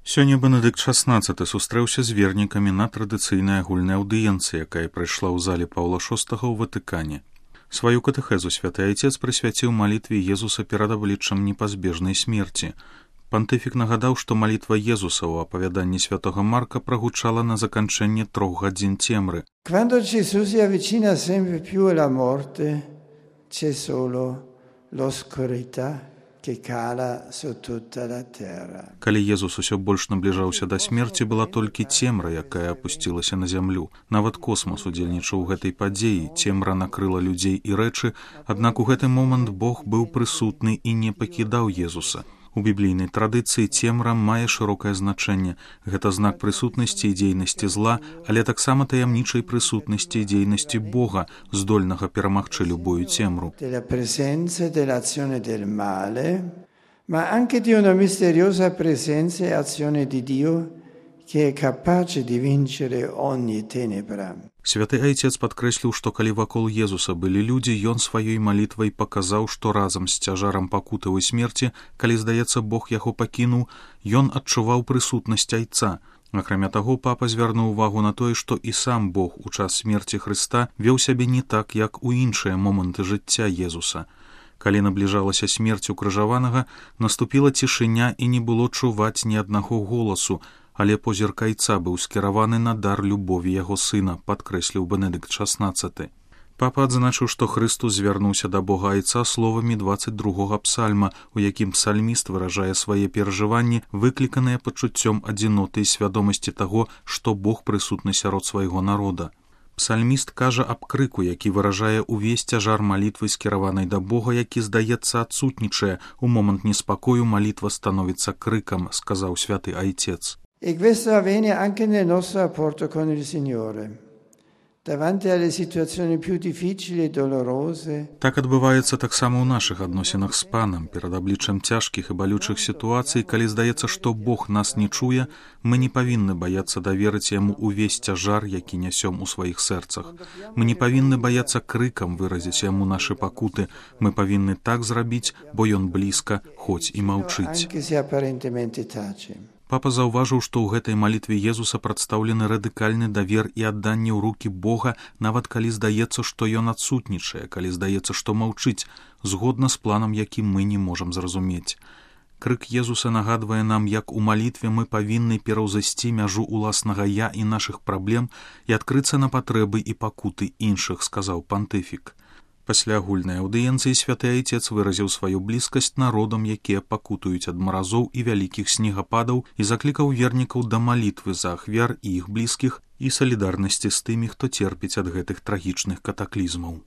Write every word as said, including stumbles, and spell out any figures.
Сёння Бенедыкт шаснаццаты сустрэўся з вернікамі на традыцыйнай агульнай аўдыенцыі, якая прайшла ў зале Паўла шостага ў Ватыкане. Сваю катэхезу святы айцец прысвяціў малітве Езуса перад абліччам непазбежнай смерці. Пантыфік нагадаў, што малітва Езуса ў апавяданні святога Марка прагучала на заканчэнне трох гадзін цемры. Quando Gesù si avvicina sempre più alla morte, c'è solo l'oscurità che cala su tutta la terra. Калі Езус усё больш набліжаўся да смерці, была толькі цемра, якая апусцілася на зямлю. Нават космас удзельнічаў у гэтай падзеі, цемра накрыла людзей і рэчы, аднак у гэты момант Бог быў прысутны і не пакідаў Езуса. У біблійнай традыцыі цемра мае шырокае значэнне. Гэта знак прысутнасці і дзейнасці зла, але таксама таямнічай прысутнасці і дзейнасці Бога, здольнага перамагчы любую цемру. Della presenza e dell'azione del male, ma anche di una misteriosa presenza e azione di Dio che è capace di vincere ogni tenebra. Святы айцец падкрэсліў, што калі вакол Езуса былі людзі, ён сваёй малітвай паказаў, што разам з цяжарам пакутавай смерці, калі, здаецца, Бог яго пакінуў, ён адчуваў прысутнасць айца. Акрамя таго, папа звярнуў увагу на тое, што і сам Бог у час смерці Хрыста веў сябе не так, як у іншыя моманты жыцця Езуса. Калі набліжалася смерць укрыжаванага, наступіла цішыня і не было чуваць ні аднаго голасу, але позірк айца быў скіраваны на дар любові яго сына, падкрэсліў Бенедыкт шаснаццаты. Папа адзначыў, што Хрыстус звярнуўся да Бога айца словамі дваццаць другога псальма, у якім псальміст выражае свае перажыванні, выкліканыя пачуццём адзіноты і свядомасці таго, што Бог прысутны сярод свайго народа. Псальміст кажа аб крыку, які выражае увесь цяжар малітвы, скіраванай да Бога, які, здаецца, адсутнічае. У момант неспакою малітва становіцца крыкам, сказаў святы айцец. E questo avviene anche nel nostro rapporto con il Signore. Davanti alle situazioni più difficili e dolorose. Так адбываецца таксама ў нашых адносінах з Панам. Перад абліччам цяжкіх і балючых сітуацый, калі здаецца, што Бог нас не чуе, мы не павінны баяцца даверыць яму увесь цяжар, які нясём у сваіх сэрцах. Мы не павінны баяцца крыкам выразіць яму нашы пакуты. Мы павінны так зрабіць, бо ён блізка, хоць і маўчыць. Папа заўважыў, што ў гэтай малітве Езуса прадстаўлены радыкальны давер і адданне ў рукі Бога, нават калі здаецца, што ён адсутнічае, калі здаецца, што маўчыць, згодна з планам, які мы не можам зразумець. Крык Езуса нагадвае нам, як у малітве мы павінны пераўзысці мяжу ўласнага я і нашых праблем і адкрыцца на патрэбы і пакуты іншых, сказаў пантыфік. Пасля агульнай аўдыенцыі святы айцец выразіў сваю блізкасць народам, якія пакутуюць ад маразоў і вялікіх снегападаў, і заклікаў вернікаў да малітвы за ахвяр і іх блізкіх і салідарнасці з тымі, хто церпіць ад гэтых трагічных катаклізмаў.